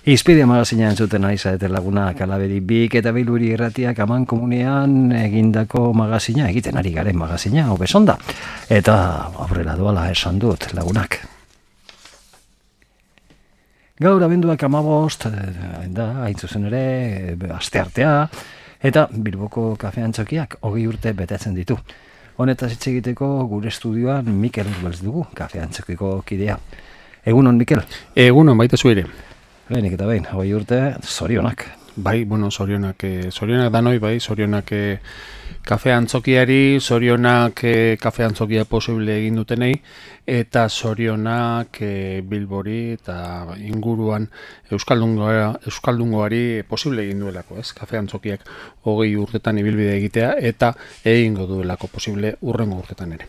Izpide magazina entzuten ari zarete lagunak, Alabedi Bik eta Bilburi Irratiak Aman Komunean egindako magazina, egiten ari garen magazina, hobesonda. Eta aurrera doala esan dut lagunak. Gaur abenduak 15, da, hain zuzen ere, asteartea, eta Bilboko Kafe Antzokiak 20 urte betetzen ditu. Honetaz hitz egiteko gure estudioan Mikel Urbelz dugu, Kafe Antzokiko kidea. Egunon, Mikel? Egunon, baita zu ere. Lehenik eta behin, 20 urte, zorionak. Bai, zorionak danoi, bai, zorionak Kafe Antzokiari, zorionak Kafe Antzokia posible egin dutenei, eta zorionak Bilbori eta inguruan Euskaldungoari posible egin duelako, ez? Kafe Antzokiak 20 urtetan ibilbide egitea, eta egingo duelako posible hurrengo urtetan ere.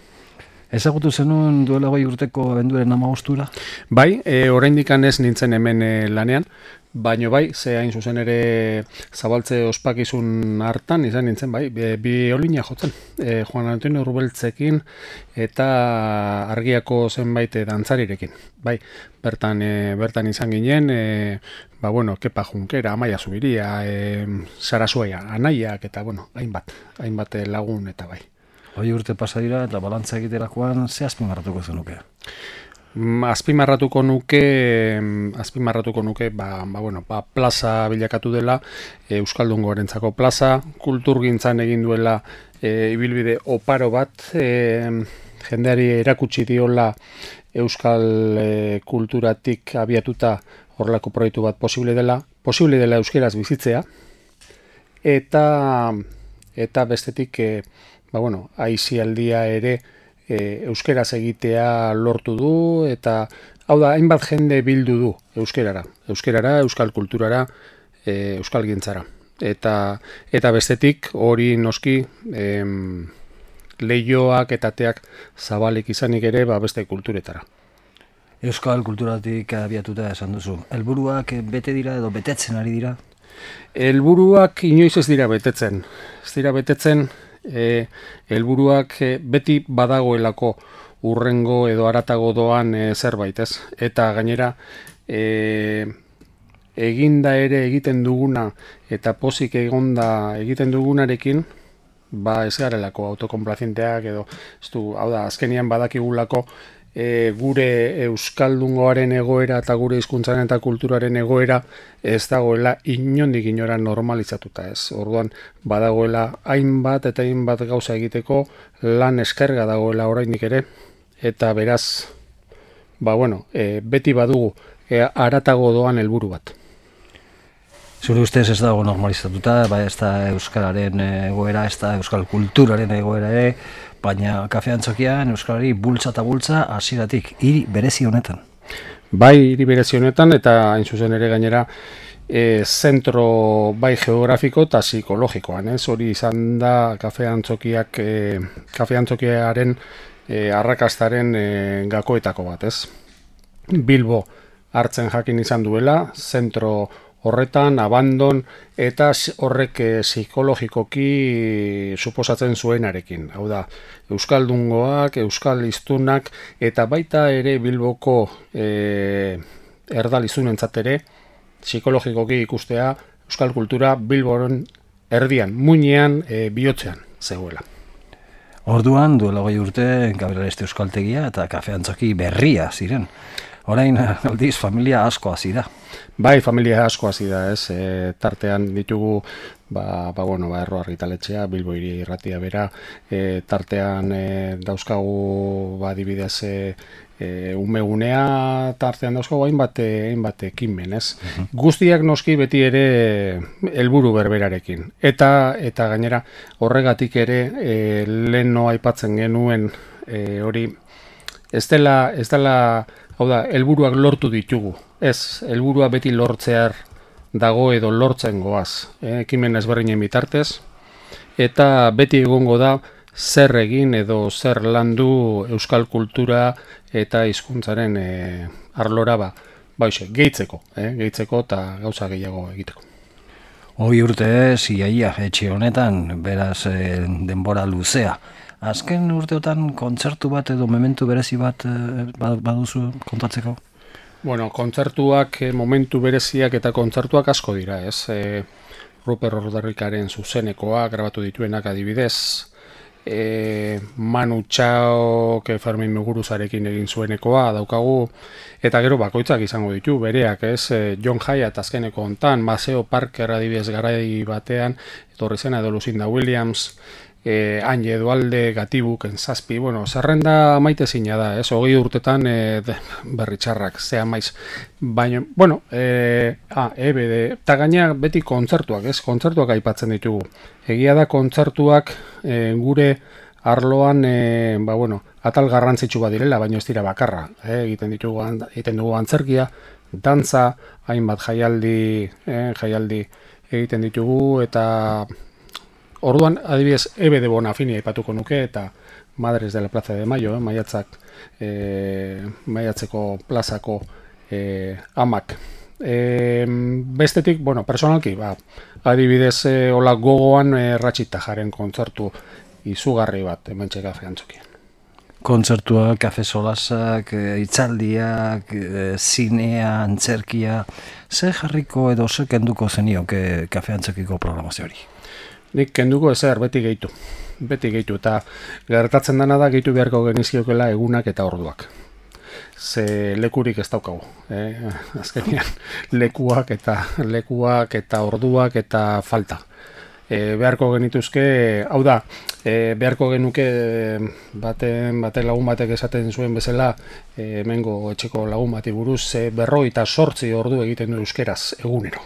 Ezagutu zenuen duela 20 urteko abenduaren 15 Bai, oraindik ez nintzen hemen lanean, baino bai, ze hain zuzen ere zabaltze ospakizun hartan izan nintzen, bai, biolina jotzen, Juan Antonio Urbeltzekin eta Argiako zenbait dantzarirekin. Bai, bertan izan ginen, Kepa Junkera, Amaia Zubiria, Sarasuaia, Anaiak eta, hainbat lagun eta bai. 20 urte pasa dira eta balantza egiterakoan ze azpimarratuko zenuke? Azpimarratuko nuke, plaza bilakatu dela, Euskaldungoarentzako plaza, kulturgintzan egin duela ibilbide oparo bat, jendeari erakutsi diola euskal kulturatik abiatuta horrelako proiektu bat posible dela euskeraz bizitzea, eta bestetik aisialdia ere euskeraz egitea lortu du, eta hau da, hainbat jende bildu du euskerara, euskal kulturara, euskal gintzara. Eta bestetik hori noski lehioak eta ateak zabalik izanik ere beste kulturetara. Euskal kulturatik abiatuta esan duzu. Helburuak bete dira edo betetzen ari dira? Helburuak inoiz ez dira betetzen. Helburuak beti badagoelako hurrengo edo haratago doan zerbait, ez? Eta gainera eginda ere egiten duguna eta pozik egonda egiten dugunarekin, ez garelako autokonplazienteak edo, hau da, azkenian badakigulako gure euskaldungoaren egoera eta gure hizkuntzaren eta kulturaren egoera ez dagoela inondik inora normalizatuta, ez. Orduan badagoela hainbat eta hainbat gauza egiteko, lan eskerga dagoela oraindik ere, eta beraz, beti badugu haratago doan helburu bat. Zure ustez ez dago normalizatuta, ez da euskararen egoera, ez da euskal kulturaren egoera ere, baina Kafe Antzokian euskarari bultza eta bultza hasieratik, hiri berezi honetan. Bai, hiri berezi honetan, eta hain zuzen ere gainera zentro bai geografiko eta psikologikoan, ez? Hori izan da Kafe Antzokiaren arrakastaren gakoetako bat, ez? Bilbo hartzen jakin izan duela, zentro horretan, abandon, eta horrek psikologikoki suposatzen zuenarekin. Hau da, euskaldungoak, euskal hiztunak, eta baita ere Bilboko erdalizunentzat ere, psikologikoki ikustea euskal kultura Bilboren erdian, muinean, bihotzean zegoela. Orduan, duela 20 urte, Gabriel Areste Euskaltegia eta Kafe Antzoki berria ziren. Orain, aldiz, familia asko hasi da. Bai, familia asko hasi da, ez. Tartean ditugu, Erro Argitaletxea, Bilbo Hiri Irratia bera, tartean dauzkagu, adibidez, umegunea, tartean dauzkagu hainbat ekinmen, ez. Guztiak noski beti ere helburu berberarekin. Eta gainera, horregatik ere, leheno aipatzen genuen hori, ez dela, hau da, helburuak lortu ditugu. Ez, helburua beti lortzear dago edo lortzen goaz. Ekimen ezberdinen bitartez. Eta beti egongo da zer egin edo zer landu euskal kultura eta hizkuntzaren arlora gehitzeko eta gauza gehiago egiteko. 20 urte iaia etxe honetan, beraz denbora luzea. Azken urteotan kontzertu bat edo mementu berezi bat baduzu kontatzeko? Bueno, kontzertuak, momentu bereziak eta kontzertuak asko dira, ez? Ruper Ordarrikaren zuzenekoa grabatu dituenak adibidez, Manu Txaok Fermin Muguruzarekin egin zuenekoa daukagu, eta gero bakoitzak izango ditu, bereak, ez? John Hyatt azkeneko hontan, Maceo Parker adibidez garai batean, etorri zena edo Lucinda Williams, Anje Edualde, Gatibuk, Enzazpi, bueno, zerrenda maite zina da, ez? 20 urtetan berri txarrak, zea maiz. Baina, bueno, EBD, eta gaina beti kontzertuak, ez? Kontzertuak aipatzen ditugu. Egia da kontzertuak gure arloan, atal garrantzitsu bat direla, baina ez dira bakarra. Egiten dugu antzerkia, dantza, hainbat jaialdi egiten ditugu, eta orduan, adibidez, EBD Bonafini aipatuko nuke, eta Madres de la Plaza de Mayo, Maiatzeko plazako amak. Bestetik, personalki, adibidez, hola gogoan Ratxita Jaren kontzertu izugarri bat, hementxe Kafe Antzokian. Kontzertuak, kafe solasak, hitzaldiak, zinea, antzerkia, ze jarriko edo ze kenduko zenioke Kafe Antzokiko programazio hori? Nik kenduko ezer, beti gehitu, eta gertatzen dena da gehitu beharko genizkiokela egunak eta orduak. Ze lekurik ez daukagu, azkenean lekuak eta orduak eta falta. Beharko genituzke, hau da, beharko genuke baten lagun batek esaten zuen bezala, hemengo etxeko lagun bati buruz, 58 ordu egiten du euskeraz egunero.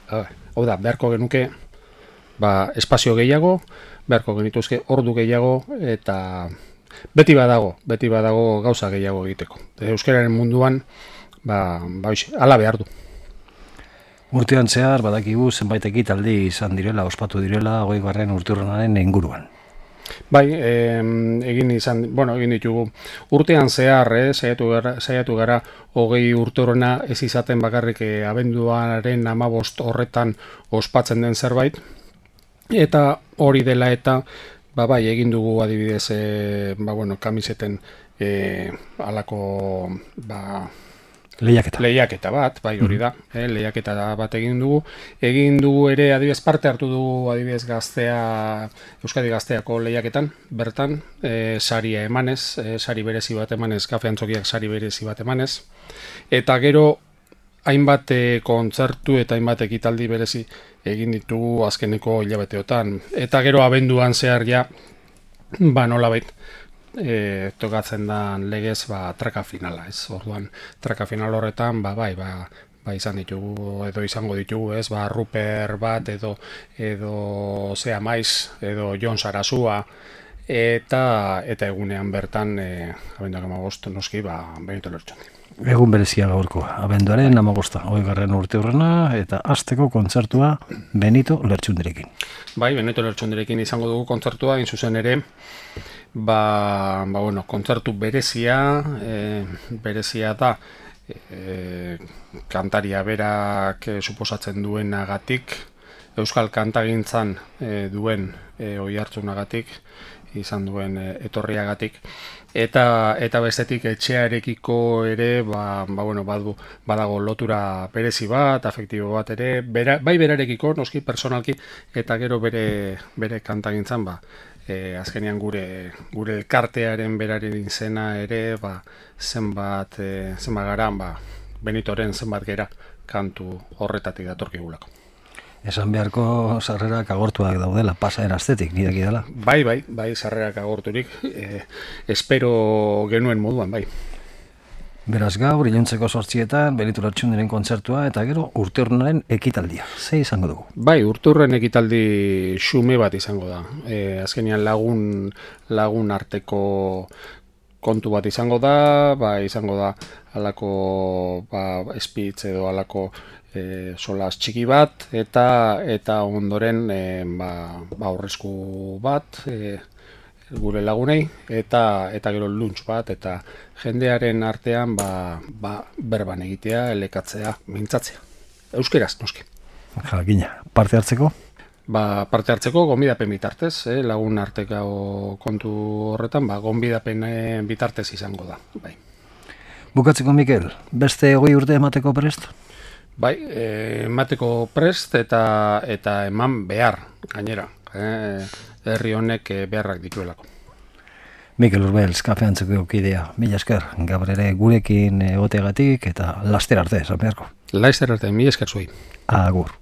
Hau da, beharko genuke espazio gehiago, beharko genituzke ordu gehiago, eta beti badago gauza gehiago egiteko. Euskararen munduan, hala behar du. Urtean zehar, badakigu zenbait ekitaldi izan direla, ospatu direla, 20. urteurrenaren inguruan. Bai, egin ditugu. Urtean zehar, saiatu gara 20 urteurrena ez izaten bakarrik abenduaren 15 horretan ospatzen den zerbait, eta hori dela eta egin dugu adibidez kamiseten alako lehiaketa bat, hori da, lehiaketa bat egin dugu. Egin dugu ere adibidez parte hartu dugu adibidez Euskadi Gazteako lehiaketan, bertan, saria emanez, sari berezi bat emanez, Kafe Antzokiak sari berezi bat emanez, eta gero hainbat kontzertu eta hainbat ekitaldi berezi egin ditugu azkeneko hilabeteotan. Eta gero abenduan zehar nolabait tokatzen da legez traka finala, ez? Orduan, traka final horretan, izan ditugu, edo izango ditugu, ez? Ruper bat, edo Zea Maiz, edo Jon Sarasua, eta egunean bertan, abenduak 15 noski, Benito Lertxundi. Egun berezia gaurko, abenduaren 15, 20. urteurrena, eta hasteko kontzertua Benito Lertxundirekin. Bai, Benito Lertxundirekin izango dugu kontzertua, zuzen ere, kontzertu berezia da, kantaria berak suposatzen duenagatik, euskal kantagintzan duen oihartzunagatik, izan duen etorriagatik, eta bestetik etxearekiko ere badago lotura berezi bat, afektibo bat ere, bai berarekiko, noski personalki, eta gero bere kantagintzan, azkenean gure elkartearen beraren izena ere, zenbat garan, Benitoren zenbat gera kantu horretatik datorkigulako. Esan beharko sarrerak agortuak daudela, pasaren astetik, nidaki dela. Bai, sarrerak agorturik, espero genuen moduan, bai. Beraz gaur, iluntzeko 8etan, Benito Lertxundiren kontzertua, eta gero urteurrenaren ekitaldia. Ze izango dugu? Bai, urteurren ekitaldi xume bat izango da. Azkenean lagun arteko kontu bat izango da, halako espitz edo halako solas txiki bat, eta ondoren aurresku bat gure lagunei, eta gero lunch bat, eta jendearen artean berban egitea, elekatzea, mintzatzea. Euskeraz, noski. Jakina, parte hartzeko? Parte hartzeko, gonbidapen bitartez, lagun arteko kontu horretan, gonbidapen bitartez izango da, bai. Bukatzeko, Mikel, beste 20 urte emateko prest? Bai, emateko prest eta eman behar, gainera. Herri honek beharrak dituelako. Mikel Urbeltz, Kafe Antzokiko kidea, mila esker, gaur ere gurekin egoteagatik eta laster arte, esan beharko. Laster arte, mila esker zuei. Agur.